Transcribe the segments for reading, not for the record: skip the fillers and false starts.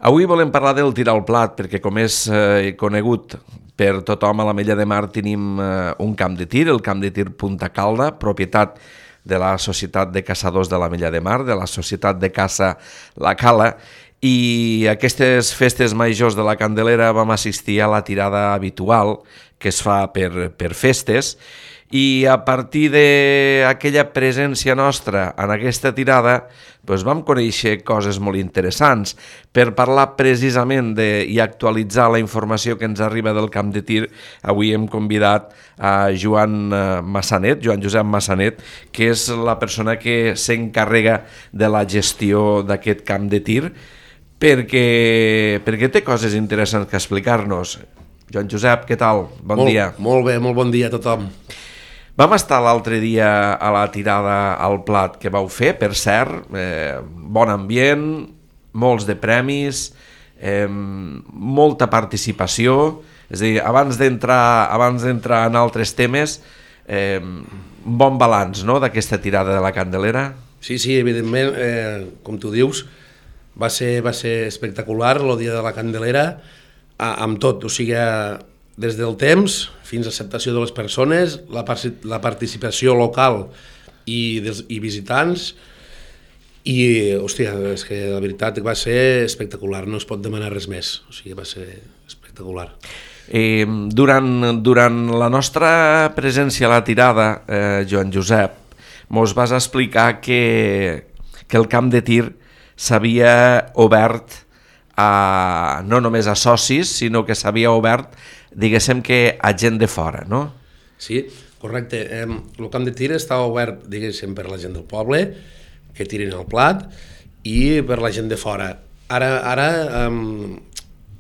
Avui volem parlar del tir al plat, perquè com és conegut per tothom, a l'Ametlla de Mar tenim un camp de tir, el camp de tir Punta Calda, propietat de la Societat de Caçadors de l'Ametlla de Mar, de la Societat de Caça La Cala, i aquestes festes majors de la Candelera vam assistir a la tirada habitual que es fa per festes, i a partir d'aquella presència nostra en aquesta tirada doncs vam conèixer coses molt interessants. Per parlar precisament i actualitzar la informació que ens arriba del camp de tir, avui hem convidat a Joan Josep Massanet, que és la persona que s'encarrega de la gestió d'aquest camp de tir, perquè té coses interessants que explicar-nos. Joan Josep, què tal? Bon dia. Molt bé, molt bon dia a tothom. Vam estar l'altre dia a la tirada al plat que vau fer, per cert, bon ambient, molts de premis, molta participació, és a dir, abans d'entrar en altres temes, bon balanç, no?, d'aquesta tirada de la Candelera. Sí, evidentment, com tu dius, va ser espectacular el dia de la Candelera, amb tot, o sigui, des del temps fins a l'acceptació de les persones, la participació local i visitants, i, hòstia, és que la veritat va ser espectacular, no es pot demanar res més, o sigui, va ser espectacular. Durant la nostra presència a la tirada, Joan Josep, mos vas explicar que el camp de tir s'havia obert no només a socis, sinó que s'havia obert, diguéssim, que a gent de fora, no? Sí, correcte. El camp de tir està obert, diguéssim, per la gent del poble, que tirin el plat, i per la gent de fora. Ara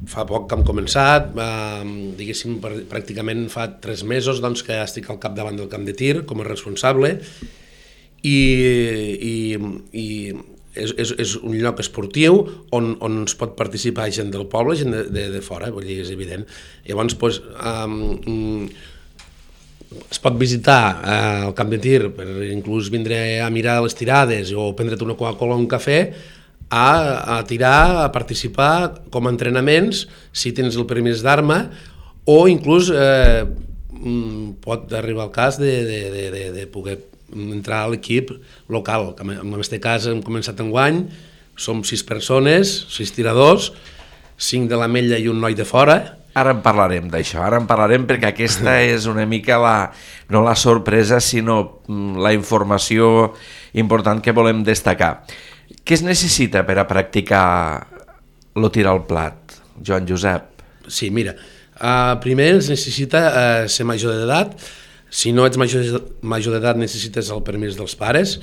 fa poc que hem començat, diguéssim, pràcticament fa 3 mesos doncs, que estic al capdavant del camp de tir com a responsable, i és un lloc esportiu on es pot participar gent del poble, gent de fora, vull dir, és evident. Llavors, doncs, es pot visitar el camp de tir, per inclús vindre a mirar les tirades o prendre't una Coca-Cola o un cafè, a tirar, a participar com a entrenaments, si tens el permís d'arma, o inclús pot arribar el cas de poder entrar a l'equip local. En aquest cas hem començat enguany, som 6 persones, 6 tiradors, 5 de l'Ametlla i un noi de fora. Ara en parlarem d'això, perquè aquesta és una mica no la sorpresa, sinó la informació important que volem destacar. Què es necessita per a practicar el tir al plat, Joan Josep? Sí, mira, primer es necessita ser major d'edat. Si no ets major d'edat necessites el permís dels pares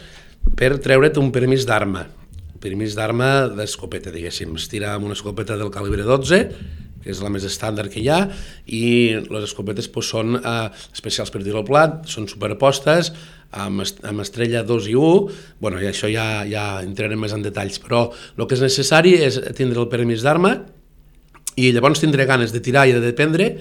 per treure't un permís d'arma. Permís d'arma d'escopeta, diguéssim. Es tira amb una escopeta del calibre 12, que és la més estàndard que hi ha, i les escopetes són especials per tirar al plat, són superpostes, amb estrella 2 i 1, bueno, i això ja entrarem més en detalls, però el que és necessari és tindre el permís d'arma i llavors tindre ganes de tirar i de dependre,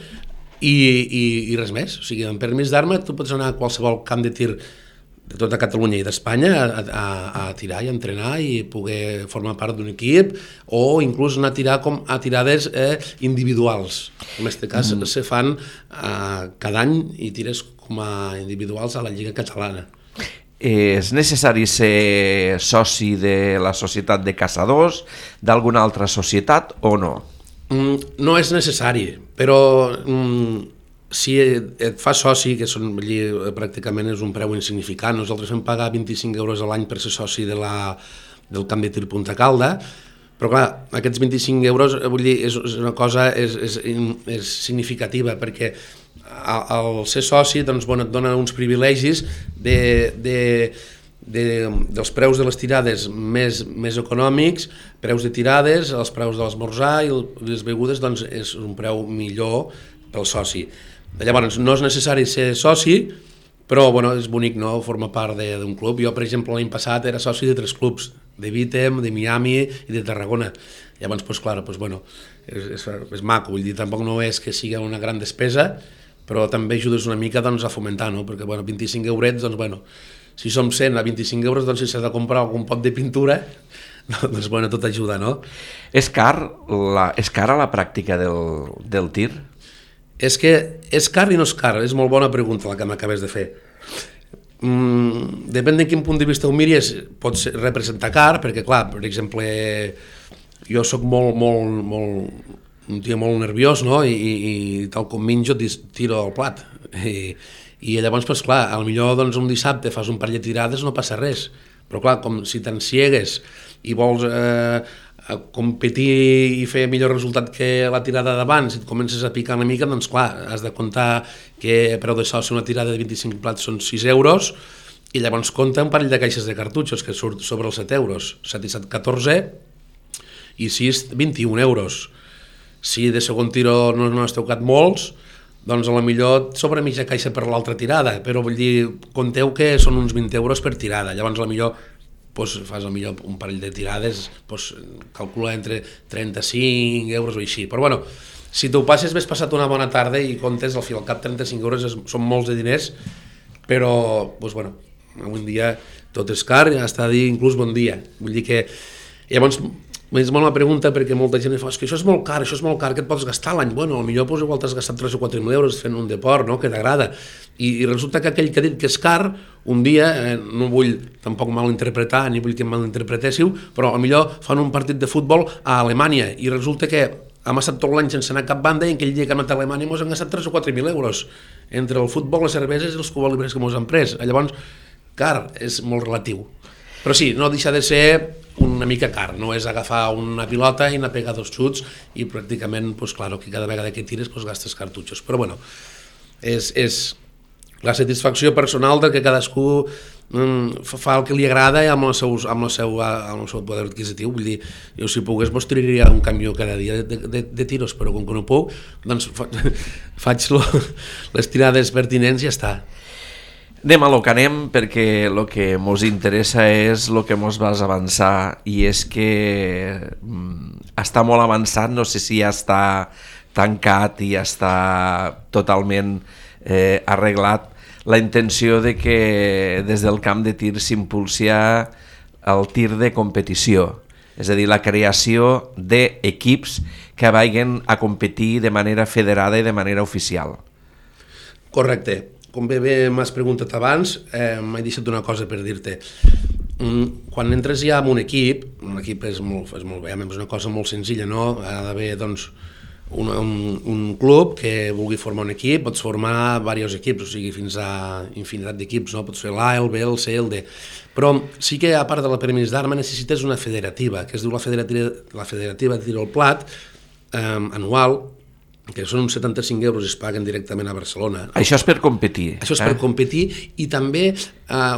i res més. O sigui, amb permís d'arma tu pots anar a qualsevol camp de tir de tota Catalunya i d'Espanya a tirar i a entrenar i poder formar part d'un equip, o inclús anar a tirar a tirades individuals. En aquest cas se fan cada any i tires com a individuals a la Lliga Catalana. És necessari ser soci de la Societat de Caçadors, d'alguna altra societat o no? No és necessari, però si et fa soci, que pràcticament és un preu insignificant, nosaltres vam pagar 25 euros a l'any per ser soci del camp de tir Punta Calda, però clar, aquests 25 euros vull dir, és una cosa és significativa, perquè al ser soci doncs, et dona uns privilegis dels preus de les tirades més econòmics, preus de tirades, els preus de l'esmorzar i les begudes, doncs és un preu millor pel soci. Llavors, no és necessari ser soci, però és bonic, no?, formar part d'un club. Jo, per exemple, l'any passat era soci de 3 clubs, de Vítem, de Miami i de Tarragona. Llavors, és maco, vull dir, tampoc no és que sigui una gran despesa, però també ajudes una mica a fomentar, no?, perquè 25 eurets, si som 100 a 25 euros, si s'ha de comprar algun pot de pintura, doncs bueno, tot ajuda, no? És cara la pràctica del tir? És que és car i no és car, és molt bona pregunta la que m'acabes de fer. Depèn de quin punt de vista ho miris, pot representar car, perquè clar, per exemple, jo sóc un tio molt nerviós, no? I tal com menjo tiro al plat. I llavors, doncs, clar, potser doncs, un dissabte fas un parell de tirades, no passa res. Però clar, com si t'enciegues i vols competir i fer millor resultat que la tirada d'abans, si et comences a picar una mica, doncs clar, has de comptar que preu de soci una tirada de 25 plats són 6 euros, i llavors compta un parell de caixes de cartutxos, que surt sobre els 7 euros. 7 i 7, 14, i 6, 21 euros. Si de segon tiro no has tocat molts, doncs potser et sobra mitja caixa per l'altra tirada, però vull dir, compteu que són uns 20 euros per tirada, llavors doncs, fas un parell de tirades, doncs, calcula entre 35 euros o així, però bueno, si t'ho passes ves passat una bona tarda i comptes al fi al cap 35 euros són molts de diners, però doncs, bueno, avui en dia tot és car, ja està a dir inclús bon dia, vull dir que llavors és molt una pregunta perquè molta gent fa que això és molt car, què et pots gastar l'any? Bueno, potser igual t'has gastat 3 o 4.000 euros fent un deport, no?, que t'agrada. I resulta que aquell que ha dit que és car, un dia, no vull tampoc malinterpretar, ni vull que em malinterpretéssiu, però potser fan un partit de futbol a Alemanya i resulta que hem estat tot l'any sense anar a cap banda i aquell dia que hem anat a Alemanya ens han gastat 3 o 4.000 euros entre el futbol, les cerveses i els cubalibres que ens han pres. Llavors, car és molt relatiu. Però sí, no deixa de ser una mica car, no és agafar una pilota i anar a pegar 2 xuts i pràcticament, doncs clar, que cada vegada que tires doncs gastes cartutxos. Però bueno, és la satisfacció personal de que cadascú fa el que li agrada amb el seu poder adquisitiu. Vull dir, jo si pogués doncs tiraria un camió cada dia de tiros, però com que no puc, doncs faig les tirades pertinents i ja està. Anem a lo que anem, perquè el que ens interessa és el que ens vas avançar, i és que està molt avançat, no sé si ja està tancat i ja està totalment arreglat, la intenció de que des del camp de tir s'impulsia el tir de competició, és a dir, la creació d'equips que vagin a competir de manera federada i de manera oficial. Correcte. Com bé m'has preguntat abans, m'he deixat una cosa per dir-te. Quan entres ja en un equip és molt bé, és una cosa molt senzilla, no? Ha d'haver doncs, un club que vulgui formar un equip, pots formar diversos equips, o sigui, fins a infinitat d'equips, no? Pots fer l'A, el B, el C, el D. Però sí que, a part de la permís d'arma, necessites una federativa, que es diu la Federativa de Tir al Plat, anual, que són uns 75 euros i es paguen directament a Barcelona. Això és per competir. Això és per competir i també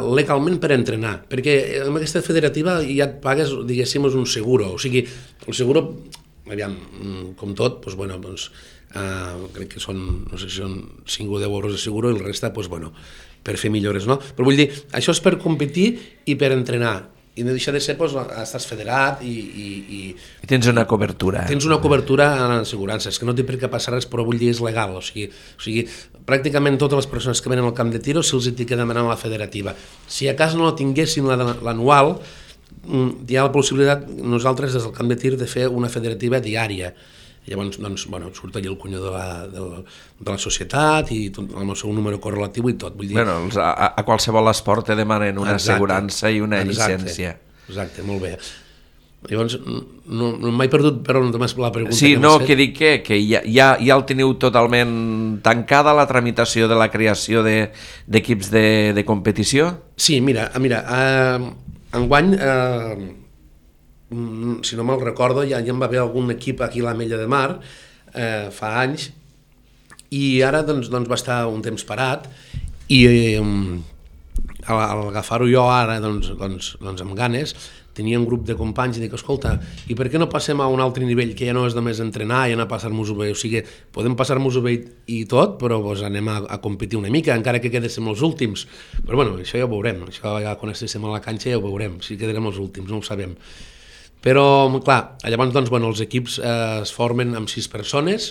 legalment per entrenar, perquè amb aquesta federativa ja et pagues, diguéssim, un seguro. O sigui, el seguro, aviam, com tot, doncs, bueno, doncs, crec que són, no sé si són 5 o 10 euros de seguro i el resta, doncs, bueno, per fer millores, no? Però vull dir, això és per competir i per entrenar. I no deixa de ser, doncs, estàs federat i tens una cobertura. Tens una cobertura en l'assegurança, que no té per què passar res, però vull dir, és legal, o sigui, pràcticament totes les persones que venen al camp de tiro se'ls té que demanar la federativa. Si a cas no la tinguessin l'anual, hi ha la possibilitat, nosaltres des del camp de tir, de fer una federativa diària. Llavors, doncs, bueno, surt allà el cunyó de la societat i tot, amb el seu número correlatiu i tot. Vull dir... Bueno, a qualsevol esport te demanen una assegurança i una llicència. Exacte, molt bé. Llavors, no m'he perdut, però només la pregunta sí, que no, que dic que ja el teniu totalment tancada, la tramitació de la creació d'equips de competició? Sí, mira, enguany... si no me'l recordo, ja en va haver algun equip aquí a l'Ametlla de Mar fa anys i ara doncs va estar un temps parat i al agafar-ho jo ara doncs amb ganes tenia un grup de companys i dic, escolta, i per què no passem a un altre nivell que ja no és només entrenar i anar a passar-nos-ho bé, o sigui, podem passar-nos-ho bé i tot, però doncs, anem a competir una mica, encara que quedéssim els últims, però bueno, això ja ho veurem, això ja quan estéssim a la canxa ja ho veurem, si quedarem els últims, no ho sabem. Però, clar, llavors, doncs, bueno, els equips es formen amb 6 persones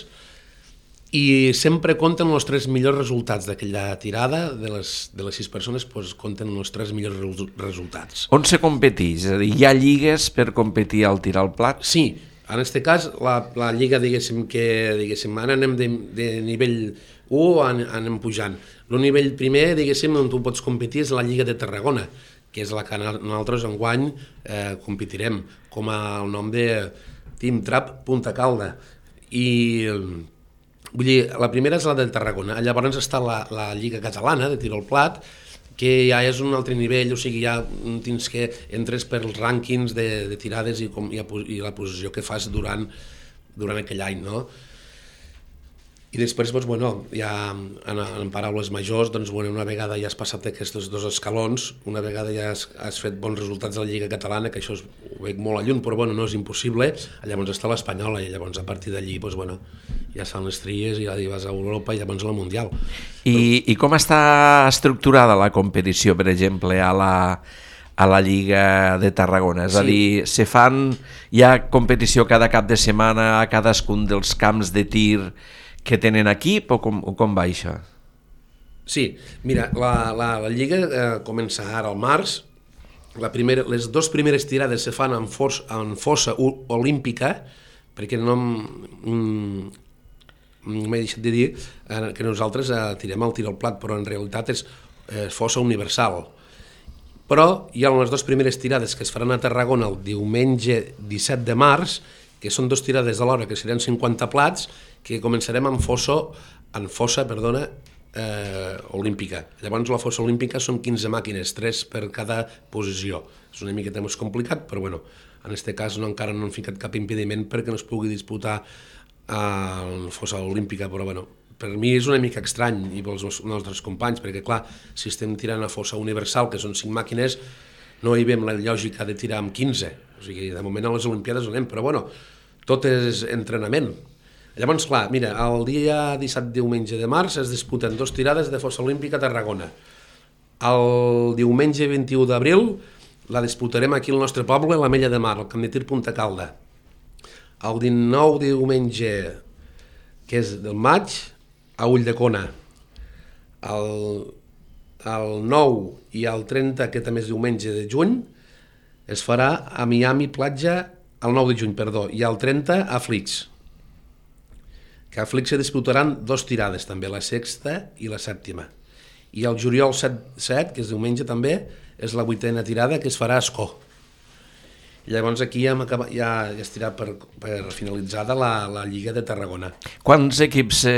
i sempre compten els 3 millors resultats d'aquella tirada, de les 6 persones, doncs compten els 3 millors resultats. On se competeix? És a dir, hi ha lligues per competir al tir al plat? Sí, en aquest cas, la lliga, diguéssim, ara anem de nivell 1, anem pujant. El nivell primer, diguéssim, on tu pots competir és la Lliga de Tarragona, que és la que nosaltres enguany competirem, com el nom de Team Trap Punta Calda. I vull dir, la primera és la de Tarragona, llavors està la Lliga Catalana de tir al plat, que ja és un altre nivell, o sigui, ja tens que entres pels rànquings de tirades i la posició que fas durant aquell any, no? I després, doncs, bueno, ja en paraules majors, doncs, bueno, una vegada ja has passat aquests 2 escalons, una vegada ja has fet bons resultats a la Lliga Catalana, que això ho veig molt a lluny, però bueno, no és impossible, llavors està l'Espanyola, i llavors a partir d'allí, doncs, bueno, ja fan les tries i ja vas a Europa i llavors a la Mundial. I com està estructurada la competició, per exemple, a la Lliga de Tarragona? És a dir, hi ha competició cada cap de setmana a cadascun dels camps de tir que tenen equip o com va això? Sí, mira, la Lliga comença ara al març. Les 2 primeres tirades se fan en fossa olímpica, perquè no m'he deixat de dir que nosaltres tirem el tir al plat, però en realitat és fossa universal. Però hi ha les 2 primeres tirades que es faran a Tarragona el diumenge 17 de març, que són 2 tirades a l'hora, que seran 50 plats, que començarem en fossa olímpica. Llavors la fossa olímpica són 15 màquines, 3 per cada posició. És una miqueta més complicat, però bueno, en aquest cas encara no han ficat cap impediment perquè no es pugui disputar a la fossa olímpica, però bueno, per mi és una mica estrany i pels nostres companys, perquè clar, si estem tirant a fossa universal, que són 5 màquines, no hi veiem la lògica de tirar amb 15. O sigui, de moment a les Olimpiades anem, però bueno, tot és entrenament. Llavors, clar, mira, el dia 17 diumenge de març es disputen 2 tirades de fossa olímpica a Tarragona. El diumenge 21 d'abril la disputarem aquí al nostre poble, a la Mella de Mar, al camp de tir Punta Calda. El 19 diumenge, que és del maig, a Ulldecona. El 9 i el 30, que també és diumenge de juny, es farà a Miami Platja, el 9 de juny, perdó, i el 30 a Flix. Que a Flix se disputaran 2 tirades també, la 6a i la 7a. I el juliol 7, que és diumenge també, és la 8a tirada que es farà a Escó. I llavors aquí ja estirà per finalitzada la Lliga de Tarragona. Quants equips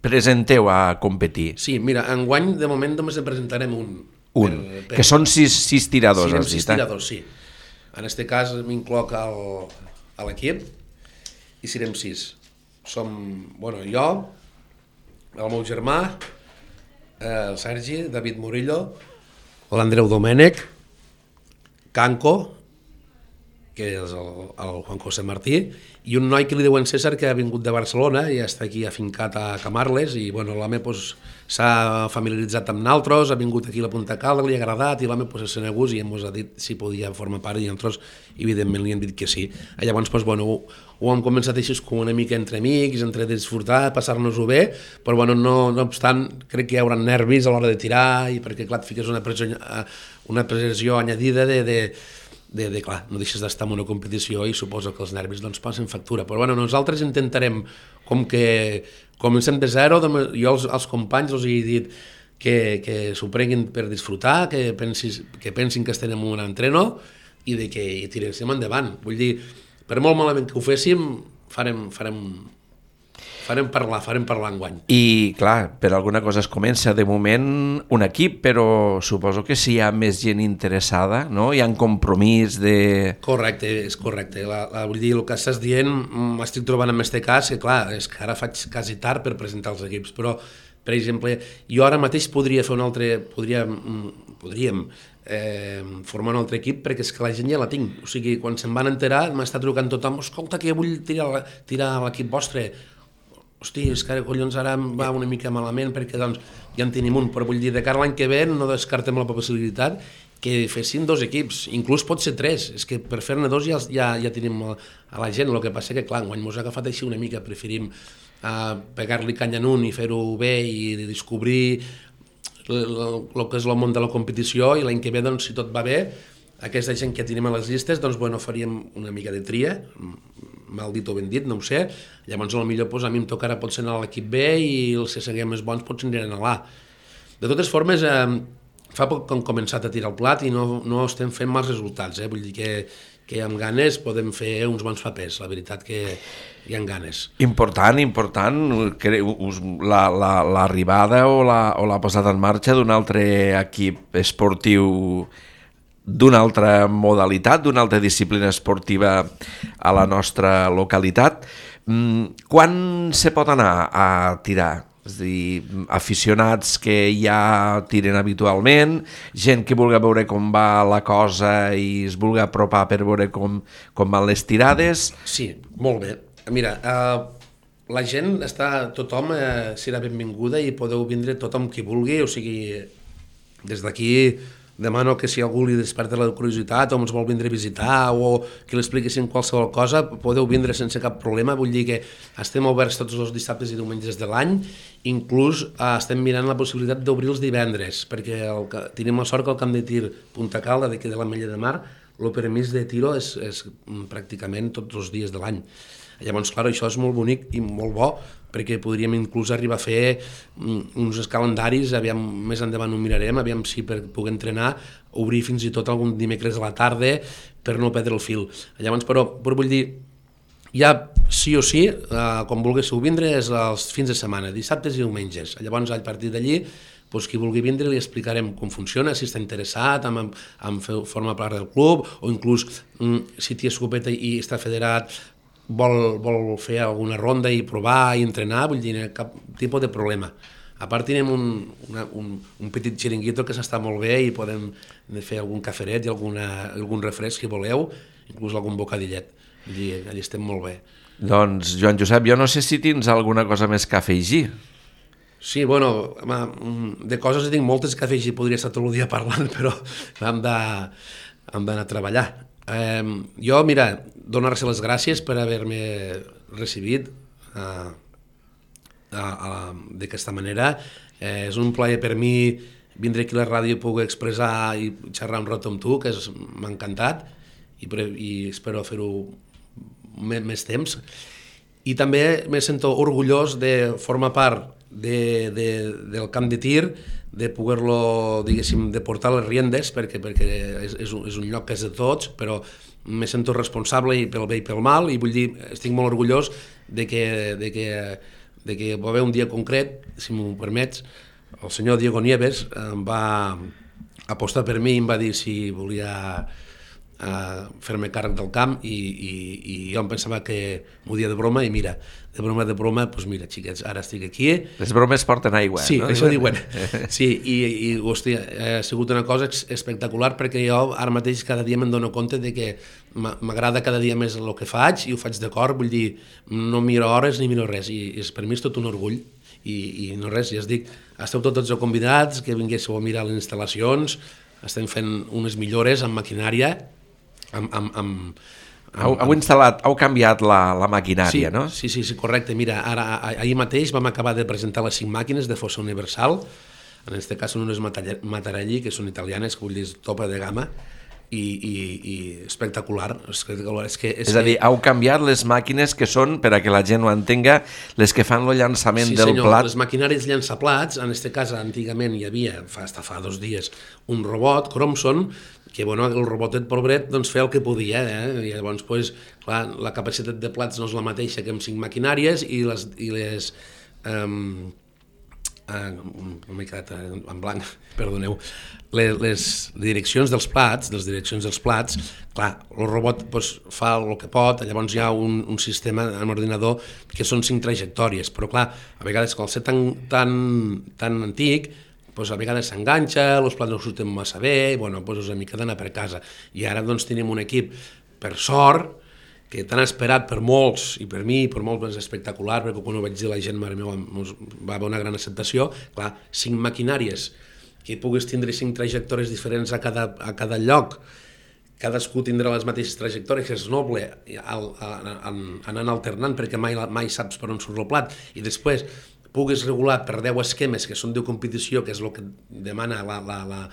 presenteu a competir? Sí, mira, enguany de moment només en presentarem un. Que són 6 tiradors. Sí, 6 tiradors, sí. En aquest cas m'incloc a l'equip, i serem 6. Som, bueno, jo, el meu germà, el Sergi, David Murillo, l'Andreu Domènech, Canco, que és el Juan José Martí, i un noi que li diuen César, que ha vingut de Barcelona i està aquí afincat a Camarles, i bueno, l'home s'ha familiaritzat amb naltros, ha vingut aquí a la Punta Calda, li ha agradat, i l'home és senegús i ens ha dit si podia formar part, i nosaltres evidentment li han dit que sí. I llavors, bueno, ho hem començat així com una mica entre amics, entre disfrutar, passar-nos-ho bé, però bueno, no obstant, crec que hi haurà nervis a l'hora de tirar, i perquè clar, et fiques una pressió añadida clar, no deixes d'estar en una competició i suposo que els nervis doncs passen factura, però bueno, nosaltres intentarem, com que comencem de zero, jo als companys els he dit que s'ho prenguin per disfrutar, que pensin que estem en un entreno i que tiréssim endavant. Vull dir, per molt malament que ho féssim, farem parlar enguany. I, clar, per alguna cosa es comença de moment un equip, però suposo que si hi ha més gent interessada, no? Hi ha un compromís de... Correcte, és correcte. Vull dir, el que estàs dient, m'estic trobant en aquest cas, que clar, és que ara faig quasi tard per presentar els equips, però, per exemple, jo ara mateix podríem formar un altre equip, perquè és que la gent ja la tinc. O sigui, quan se'n van enterar, m'està trucant tothom, escolta, que vull tirar l'equip vostre. Hosti, és que collons ara em va una mica malament perquè doncs ja en tenim un, però vull dir, de cara a l'any que ve no descartem la possibilitat que fessin 2 equips, inclús pot ser 3, és que per fer-ne 2 ja tenim a la gent, el que passa que clar, quan ens ha agafat així una mica preferim pegar-li canya en un i fer-ho bé i descobrir el que és el món de la competició, i l'any que ve, doncs, si tot va bé, aquesta gent que tenim a les llistes, doncs, bueno, faríem una mica de tria, mal dit o ben dit, no ho sé, llavors potser doncs, a mi em tocarà potser anar a l'equip B i els que siguem més bons potser aniran a l'A. De totes formes, fa poc que hem començat a tirar el plat i no estem fent mals resultats, vull dir que amb ganes podem fer uns bons papers, la veritat que hi ha ganes. Important, l'arribada o la posada en marxa d'un altre equip esportiu d'una altra modalitat, d'una altra disciplina esportiva a la nostra localitat. Quan se pot anar a tirar? És a dir, aficionats que ja tiren habitualment, gent que vulgui veure com va la cosa i es vulgui apropar per veure com van les tirades. Sí, molt bé. Mira, la gent tothom serà benvinguda i podeu vindre tothom qui vulgui, o sigui, des d'aquí demano que si algú li desperta la curiositat o ens vol vindre a visitar o que li expliquessin qualsevol cosa, podeu vindre sense cap problema. Vull dir que estem oberts tots els dissabtes i diumenges de l'any, inclús estem mirant la possibilitat d'obrir els divendres, perquè tenim la sort que el camp de tir Punta Calda, d'aquí de l'Ametlla de Mar, el permís de tiro és pràcticament tots els dies de l'any. Llavors, clar, això és molt bonic i molt bo, perquè podríem inclús arribar a fer uns calendaris, aviam, més endavant ho mirarem, aviam si per poder entrenar, obrir fins i tot algun dimecres a la tarda per no perdre el fil. Llavors, però vull dir, ja sí o sí, quan volguéssiu vindre, és els fins de setmana, dissabtes i diumenges. Llavors, a partir d'allí, qui vulgui vindre li explicarem com funciona, si està interessat en formar part del club, o inclús si té escopeta i està federat, vol fer alguna ronda i provar i entrenar, vull dir, cap tipus de problema. A part tenim un petit xiringuito que s'està molt bé i podem fer algun caferet i algun refresc si voleu, inclús algun bocadillet. Vull dir, allà estem molt bé. Doncs, Joan Josep, jo no sé si tens alguna cosa més que afegir. Sí, bueno, de coses tinc moltes que afegir, podria estar tot el dia parlant, però hem d'anar a treballar. Jo, mira, donar-se les gràcies per haver-me recibit d'aquesta manera. És un plaer per mi vindre aquí a la ràdio i poder expressar i xerrar un rato amb tu, que m'ha encantat, i espero fer-ho més temps. I també me sento orgullós de formar part del camp de tir, de poder-lo, diguéssim, de portar les riendes, perquè és un lloc que és de tots, però me sento responsable i pel bé i pel mal, i vull dir, estic molt orgullós de que va haver un dia concret, si m'ho permets, el senyor Diego Nieves em va apostar per mi i em va dir si volia fer-me càrrec del camp, i jo em pensava que m'ho dia de broma, i mira, de broma, doncs mira, xiquets, ara estic aquí. Les bromes porten aigua, sí, no? Sí, això diuen. Sí, i hòstia, ha sigut una cosa espectacular, perquè jo ara mateix cada dia me'n dono compte de que m'agrada cada dia més el que faig, i ho faig de cor, vull dir, no miro hores ni miro res, i per mi és tot un orgull, i no res, ja es dic, esteu tots convidats, que vinguéssiu a mirar les instal·lacions, estem fent unes millores amb maquinària, Heu canviat la maquinària, no? Sí, correcte. Mira, ahir mateix vam acabar de presentar les 5 màquines de fossa universal, en aquest cas són unes Matarelli, que són italianes, que vull dir, topa de gamma, i espectacular. És a dir, heu canviat les màquines que són, per a que la gent ho entenga, les que fan el llançament del plat. Sí, senyor, les maquinàries llançaplats, en aquest cas antigament hi havia, fa 2 dies, un robot, Cromson, que bueno, el robotet pobret doncs, feia el que podia, i llavors doncs, clar, la capacitat de plats no és la mateixa que amb 5 maquinàries, i les m'he quedat en blanc, perdoneu, les direccions dels plats, clar, el robot fa el que pot, llavors hi ha un sistema en l'ordinador que són 5 trajectòries, però clar, a vegades quan el ser tan antic, a vegades s'enganxa, els plats no surten massa bé, i és una mica d'anar per casa. I ara tenim un equip, per sort, que tan esperat per molts, i per mi, per molts és espectacular, perquè quan ho vaig dir la gent, mare meva, va haver una gran acceptació. Clar, 5 maquinàries que puguis tindre 5 trajectòries diferents a cada lloc, cadascú tindrà les mateixes trajectòries, que és noble, anant alternant, perquè mai saps per on surt el plat, i després puguis regular per 10 esquemes, que són de competició, que és el que demana el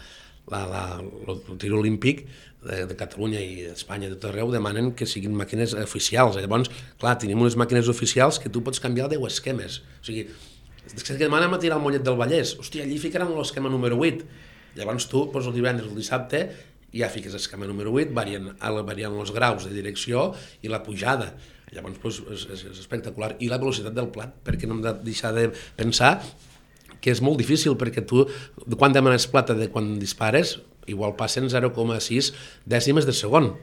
tir olímpic de Catalunya i d'Espanya, de tot arreu, demanen que siguin màquines oficials. Llavors, clar, tenim unes màquines oficials que tu pots canviar 10 esquemes. O sigui, és que demanem a tirar el Mollet del Vallès. Hòstia, allí ficaran l'esquema número 8. Llavors tu, el divendres o el dissabte, ja fiques l'esquema número 8, varien els graus de direcció i la pujada. Llavors és espectacular. I la velocitat del plat, perquè no hem de deixar de pensar que és molt difícil, perquè tu, quan demanes plata de quan dispares, igual passen 0,6 dècimes de segon.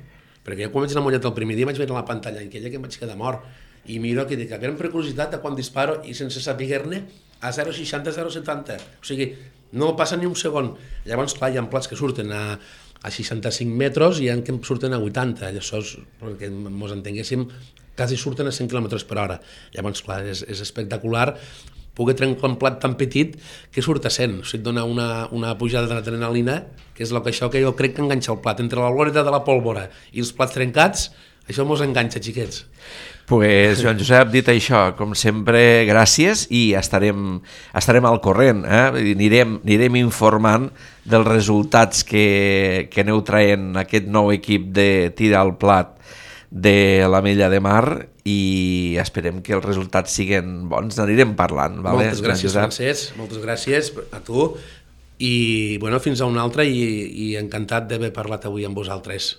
Perquè jo quan vaig anar a Mollet el primer dia vaig veure la pantalla aquella que em vaig quedar mort. I miro que dic, per curiositat, de quan disparo i sense saber-ne, a 0,60, 0,70. O sigui, no passa ni un segon. Llavors, clar, hi ha plats que surten a 65 metres i hi ha que surten a 80. Això és, perquè ens entenguéssim, quasi surten a 100 km per hora. Llavors, clar, és espectacular poder trencar un plat tan petit que surt a 100. O sigui, et dona una pujada d'adrenalina, que és això que jo crec que enganxa el plat. Entre la glòria de la pólvora i els plats trencats, això mos enganxa, xiquets. Pues, Joan Josep, dit això, com sempre, gràcies, i estarem al corrent. Anirem informant dels resultats que aneu traient aquest nou equip de tir al plat de l'Ametlla de Mar, i esperem que els resultats siguin bons. N'anirem parlant. Vale? Moltes gràcies, Francesc, moltes gràcies a tu, i bueno, fins a una altra, i encantat d'haver parlat avui amb vosaltres.